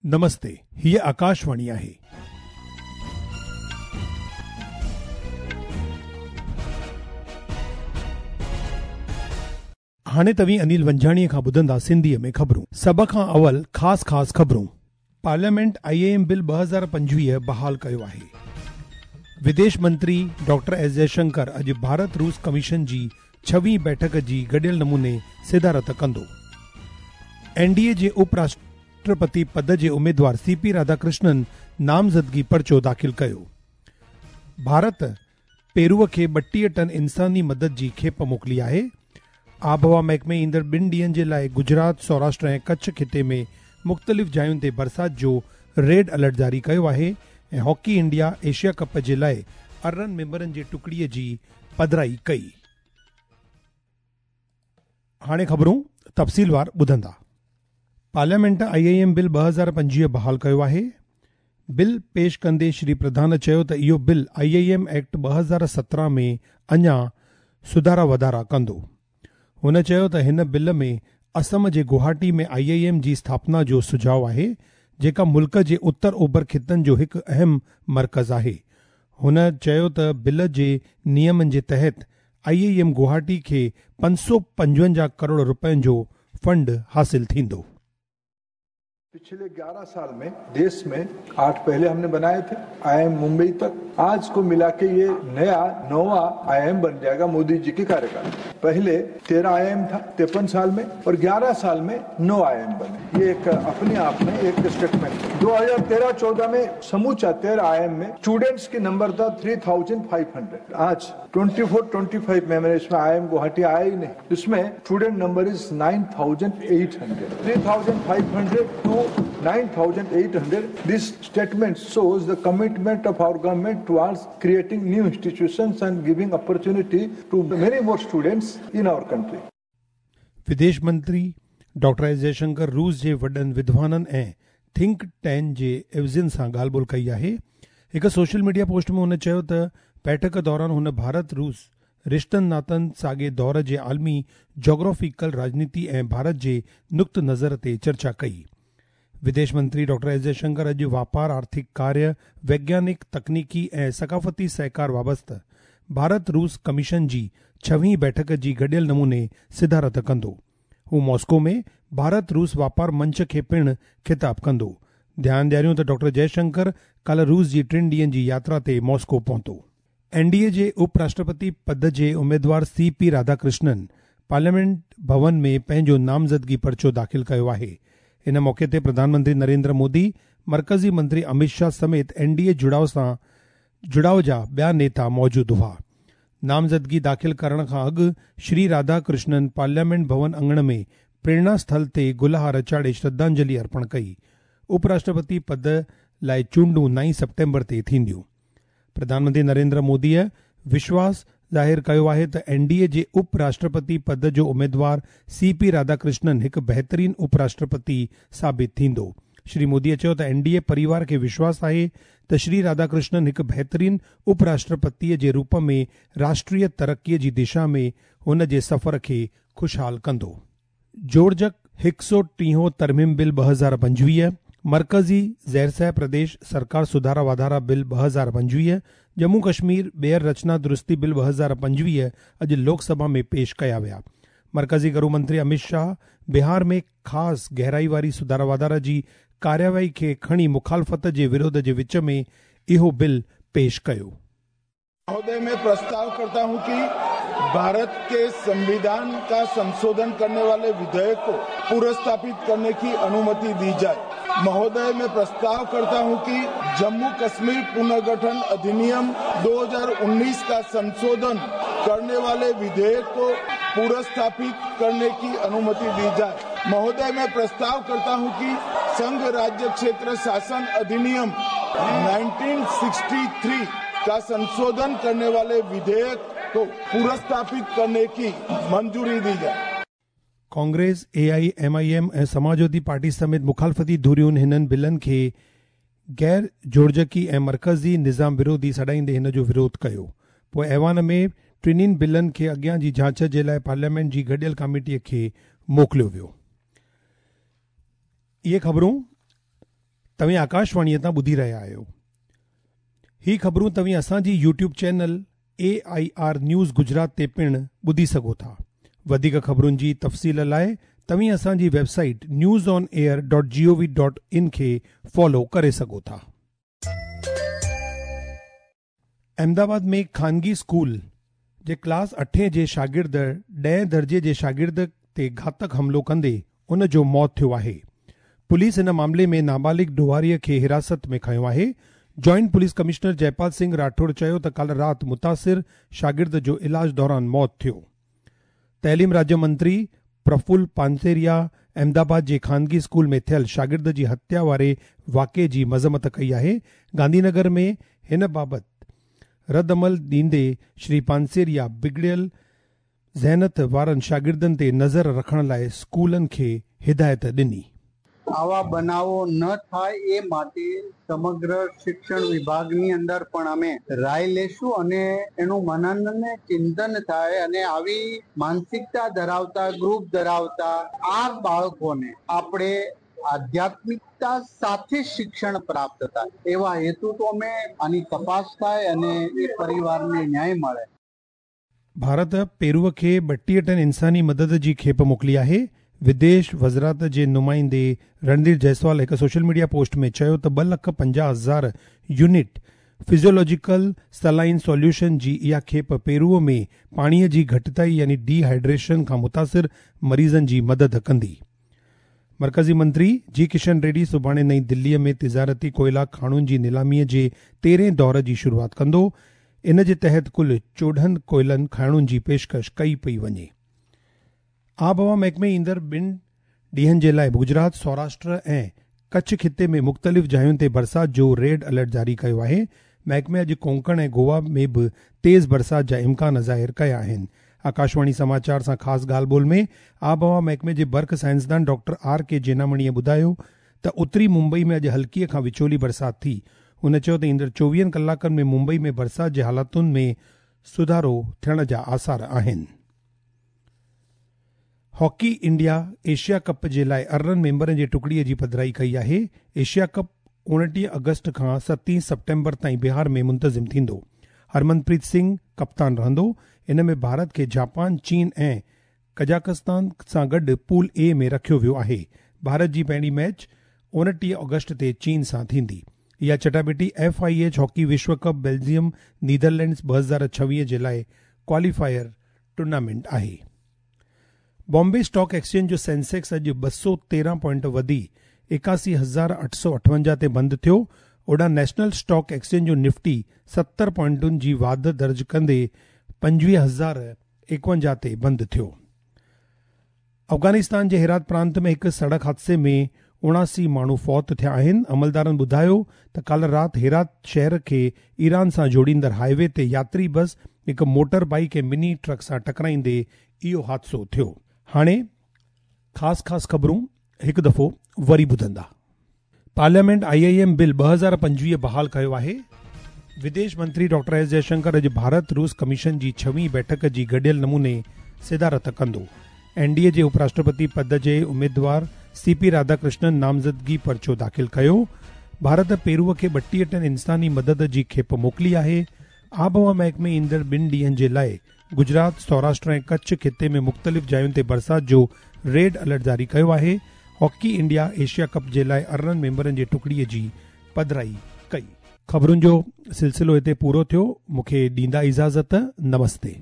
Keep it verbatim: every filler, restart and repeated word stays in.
نمستي، هيء آڪاشواڻي آهي. هاڻي توهين انيل ونجاڻيءَ کان ٻڌندا سنڌيءَ ۾ خبرون. سڀ کان اول خاص خاص خبرون. پارليامينٽ I M bill ٻه هزار پنجويهه بحال ڪيو آهي. وديش منتري ڊاڪٽر ايس جئشنڪر اڄ ڀارت روس ڪميشن جي ڇويهين بيٺڪ جي گڏيل نموني صدارت ڪندو. اين ڊي اي جي اپ راشٽرپتي پد جي اميدوار سي پي راڌاڪرشنن نامزدگي پرچو داخل ڪيو. ڀارت پيروءَ کي ٻٽيهه ٽن انساني مدد جي کيپ موڪلي آهي. آبهوا محڪمي ايندڙ ٻن ڏينهن جي لاءِ گجرات، سوراشٽر ۽ ڪڇ خطي ۾ مختلف جاين تي برسات جو ريڊ الرٽ جاري ڪيو آهي. ۽ هاڪي انڊيا ايشيا ڪپ جي لاءِ ارڙهن ميمبرن جي ٽڪڙيءَ جي پڌرائي ڪئي. هاڻي خبرون تفصيلوار ٻڌندا. Parliament I I M bill ٻه هزار پنجويهه بحال ڪيو آهي. بل پيش ڪندي شري پرڌان چيو ته اهو bill I I M act ٻه هزار سترهن ۾ اڃا سڌارا واڌارا ڪندو. هن چيو ته هن بل ۾ اسم جي گوهاٽي ۾ I I M جي اسٿاپنا جو سجهاءُ آهي، جيڪا ملڪ جي اتر اوڀر خطن جو هڪ اهم مرڪز آهي. هن چيو ته بل جي نيمن جي تحت I I M Guwahati کي پنج سؤ پنجونجاهه ڪروڙ رپين جو فنڊ حاصل ٿيندو. पिछले ग्यारह साल में देश में आठ पहले हमने बनाए थे I am Mumbai तक, आज को मिला के ये नया नौवा I am बन जाएगा मोदी जी के कार्यकाल में। पहले तेरह I am था तिरपन साल में और ग्यारह साल में नौ I am बने। ये एक अपने आप में एक स्टेटमेंट। दो हजार तेरह चौदह में समूचा तेरह I am में स्टूडेंट्स की नंबर था थ्री थाउजेंड फाइव हंड्रेड। आज ट्वेंटी फोर ट्वेंटी फाइव में मैंने इसमें I am Guwahati आया ही नहीं, इसमें student number is nine thousand eight hundred, three thousand five hundred to nine thousand eight hundred. This statement shows the commitment of our government towards creating new institutions and giving opportunity to many more students in our country. विदेश मंत्री doctor S Jaishankar रूस जे वॾनि विद्वाननि ऐं think tank जे एवज़ियुनि सां ॻाल्हि ॿोल कई आहे. हिकु सोशल मीडिया पोस्ट में हुन चयो त बैठक दौरान हुन भारत रूस रिश्तनि नातनि साॻे दौर जे आलमी जोग्राफिकल राजनीति ऐं भारत जे नुक़्त नज़र ते चर्चा कई. विदेश मंत्री डॉक्टर एस जयशंकर अॼु वापार, आर्थिक कार्य, वैज्ञानिक, तकनीकी ऐं सकाफ़ती सहकार वाबस्ता भारत रूस कमीशन जी छवीं बैठक जी गॾियल नमूने सिदारत कंदो. हू मॉस्को में भारत रूस वापार मंच खे पिणु ख़िताब कंदो. ध्यानु ॾियारियूं त डॉक्टर जयशंकर काल्ह रूस जी टिनि ॾींहनि जी यात्रा ते मॉस्को पहुतो. एन डी ए जे उप राष्ट्रपति पद जे उमेदवार सी पी राधाकृष्णन पार्लियामेंट भवन में पंहिंजो नामज़दगी पर्चो दाख़िल कयो आहे. इन मौक़े ते प्रधानमंत्री नरेंद्र मोदी, मर्कज़ी मंत्री अमित शाह समेत एन डी ए जुड़ाव सां जुड़ाव जा ॿिया नेता मौजूदु हुआ. नामज़दगी दाख़िल करण खां अॻु श्री राधाकृष्णन पार्लियामेंट भवन अंगण में प्रेरणा स्थल ते गुलहार चाढ़े श्रद्धांजलि अर्पण कई. उपराष्ट्रपति पद लाइ चूंडूं नाई सेप्टेम्बर ते थींदियूं. प्रधानमंत्री नरेंद्र मोदीअ विश्वास ज़ाहिर कयो आहे त एन डी ए जे उपराष्ट्रपति पद जो उमेदवार सी पी राधाकृष्णन हिकु बहितरीन उपराष्ट्रपति साबित थींदो. श्री मोदीअ चयो त एन डी ए परिवार खे विश्वास आहे त श्री राधाकृष्णन हिकु बहितरीन उपराष्ट्रपतीअ जे रूप में राष्ट्रीय तरक़ीअ जी दिशा में हुन जे सफ़र खे ख़ुशहाल कंदो. जोड़जक हिकु सौ टीहों तरमीम बिल ٻه هزار پنجويهه، मर्कज़ी ज़ेरसह प्रदेश सरकार सुधारा वाधारा बिल ٻه هزار پنجويهه، ڄمون कश्मीर ॿीहर रचना दुरुस्ती बिल ٻه هزار پنجويهه اڄ لوڪسڀا में पेश कया विया. मर्कज़ी गृह मंत्री अमित शाह बिहार में ख़ासि गहराई वारी सुधारा वाधारा जी कार्यवाही खे खणी मुखालफ़त जे विरोध जे विच में इहो बिल पेश कयो. महोदय, मैं प्रस्ताव करता हूं कि भारत के संविधान का संशोधन करने वाले विधेयक को पुनर्स्थापित करने की अनुमति दी जाए. महोदय, मैं प्रस्ताव करता हूं कि जम्मू कश्मीर पुनर्गठन अधिनियम दो हज़ार उन्नीस का संशोधन करने वाले विधेयक को पुनर्स्थापित करने की अनुमति दी जाए. महोदय, मैं प्रस्ताव करता हूं कि संघ राज्य क्षेत्र शासन अधिनियम उन्नीस सौ तिरसठ का संशोधन करने वाले विधेयक को पुनर्स्थापित करने की मंजूरी दी जाए. Congress, A I M I M ऐं समाजवादी पार्टी समेत मुखालफ़ती धुरियुनि हिननि बिलनि खे गैर जोड़जकी ऐं मर्कज़ी निज़ाम विरोधी सॾाईंदे हिन जो विरोध कयो. पोइ ऐवान में टिन्हिनि बिलनि खे अॻियां जी जांच जे लाइ पार्लियामेंट जी गॾियल कमेटीअ खे मोकिलियो वियो. इहे ख़बरूं توهين آڪاشواڻيء تان ٻڌي رهيا آهيو. هي خبرون توهين اسان جي YouTube channel A I R news Gujarat تي پڻ ٻڌي سگهو ٿا. وڌيڪ خبرن جي تفصيل لاءِ توهين اسان جي website news on air dot G O V dot in کي فالو ڪري سگهو ٿا. احمدآباد ۾ خانگي اسڪول جي ڪلاس اٺين جي شاگرد ڏهين درجي جي شاگرد تي گهاتڪ حملو ڪندي ان جو موت ٿيو آهي. پوليس ان معاملي ۾ نابالغ ڏوهاريءَ کي حراست ۾ کنيو آهي. Joint police commissioner Jaipal Singh Rathore چيو ته ڪالهه رات متاثر شاگرد جو علاج دوران موت ٿيو. تعليم راجيه منتري پرفل پانسيريا احمدآباد جي خانگي اسڪول ۾ ٿيل شاگرد جي هتيا واري واقعي جي مذمت ڪئي آهي. گانڌينگر ۾ هن بابت رد عمل ڏيندي شري پانسيريا بگڙيل ذهنيت وارن شاگردن تي نظر رکڻ لاءِ اسڪولن کي هدايت ڏني. આવા બનાવો ન થાય એ માટે સમગ્ર શિક્ષણ વિભાગની અંદર પણ અમે રાય લેશું અને એનું મનન ને ચિંતન થાય અને આવી માનસિકતા ધરાવતા ગ્રુપ ધરાવતા આ બાળકોને આપણે આધ્યાત્મિકતા સાથે શિક્ષણ પ્રાપ્ત થાય એવા હેતુ તો અમે આની તપાસ થાય અને એ પરિવારને ન્યાય મળે. ભારત પેરુअ खे ॿटीह टन इंसानी मदद जी खेप मोकिली आहे. विदेश वज़ारत जे नुमाइंदे रणधीर जायसवाल हिकु सोशल मीडिया पोस्ट में चयो त ॿ लख पंजाह हज़ार यूनिट फिजियोलॉजिकल सलाइन सॉल्यूशन जी इहा खेप पेरूअ में पाणीअ जी घटिताई यानी डिहाइड्रेशन खां मुतासिर मरीज़नि जी मदद कंदी. मर्कज़ी मंत्री जी किशन रेड्डी सुभाणे नई दिल्लीअ में तिजारती कोयला खाणुनि जी नीलामीअ जे तेरहें दौर जी शुरूआत कंदो. इन जे तहत कुल चोॾहं कोयलनि खाणुनि जी पेशकश कई पई वञे. आबहवा महकमे ईंदड़ ॿिनि ॾींहनि जे लाइ गुजरात, सौराष्ट्र ऐं कच्छ ख़िते में मुख़्तलिफ़ जायुनि ते बरसाति जो रेड अलर्ट जारी कयो आहे. महकमे अॼु कोंकण ऐं गोवा में बि तेज़ बरसाति जा इम्कान ज़ाहिर कया आहिनि. आकाशवाणी समाचार सां ख़ासि ॻाल्हि ॿोल में आबहवा महकमे जे बर्ख साइंसदान डॉक्टर आर के जेनामणीअ ॿुधायो त उत्तरी मुंबई में अॼु हल्कीअ खां विचोली बरसाति थी. हुन चयो त ईंदड़ चोवीहनि कलाकनि में मुंबई में बरसाति जे हालातुनि में सुधारो थियण जा आसार आहिनि. हॉकी इंडिया एशिया कप जे लाइ अरिड़हं मेंबरनि जे टुकड़ीअ जी पधराई कई आहे. एशिया कप उणिटीह अगस्त खां सतहीं सेप्टेम्बर ताईं बिहार में मुंतज़िम थींदो. हरमनप्रीत सिंह कप्तान रहंदो. इन में भारत खे जापान, चीन ऐं कजाकिस्तान सां गॾु पूल ए में रखियो वियो आहे. भारत जी पहिरीं मैच उणिटीह अगस्त ते चीन सां थींदी. इहा चटापिटी एफ I H hockey विश्व कप बेल्जियम नीदरलैंड्स ॿ हज़ार छवीह जे लाइ क्वालीफायर टूर्नामेंट आहे. बॉम्बे स्टॉक एक्सचेंज जो सेंसेक्स अॼु ॿ सौ तेरहं पॉइंट वधी एकासी हज़ार अठ सौ अठवंजाह ते बंदि थियो. ओॾां नेशनल स्टॉक एक्सचेंज जो निफ्टी सतरि पॉइंटुनि जी वाध दर्ज कंदे पंजवीह हज़ार एकवंजाह ते बंदि थियो. अफ़गानिस्तान जे हेरात प्रांत में हिकु सड़क हादसे में उणासी माण्हू फौत थिया आहिनि. अमलदारनि ॿुधायो त काल्ह राति हेरात शहर खे ईरान सां जोड़ींदड़ हाईवे ते यात्री बस हिकु मोटर बाइक ऐं मिनी ट्रक सां टकराईंदे इहो हादसो थियो. हाणे ख़ासि ख़ासि ख़बरूं हिकु दफ़ो वरी ॿुधंदा. Parliament I I am bill ॿ हज़ार पंजवीह बहाल कयो आहे. विदेश मंत्री डॉक्टर एस जयशंकर अॼु भारत रूस कमीशन जी छवीं बैठक जी गॾियल नमूने सिदारत कंदो. एन डी ए जे उपराष्ट्रपति पद जे उमेदवार सी पी राधाकृष्णन नामज़दगी पर्चो दाख़िल कयो. भारत पेरूअ खे ॿटीह टन इंसानी मदद जी खेप मोकिली आहे. आबहवा महकमे ईंदड़ ॿिनि ॾींहनि जे लाइ गुजरात, सौराष्ट्र ऐं कच्छ ख़िते में मुख़्तलिफ़ जायुनि ते बरसाति जो रेड अलर्ट जारी कयो आहे. हॉकी इंडिया एशिया कप जे लाइ अरिड़हं मेंबरनि जे टुकड़ीअ जी पधराई कई. ख़बरुनि जो सिलसिलो हिते पूरो थियो. मूंखे ॾींदा इजाज़त. नमस्ते.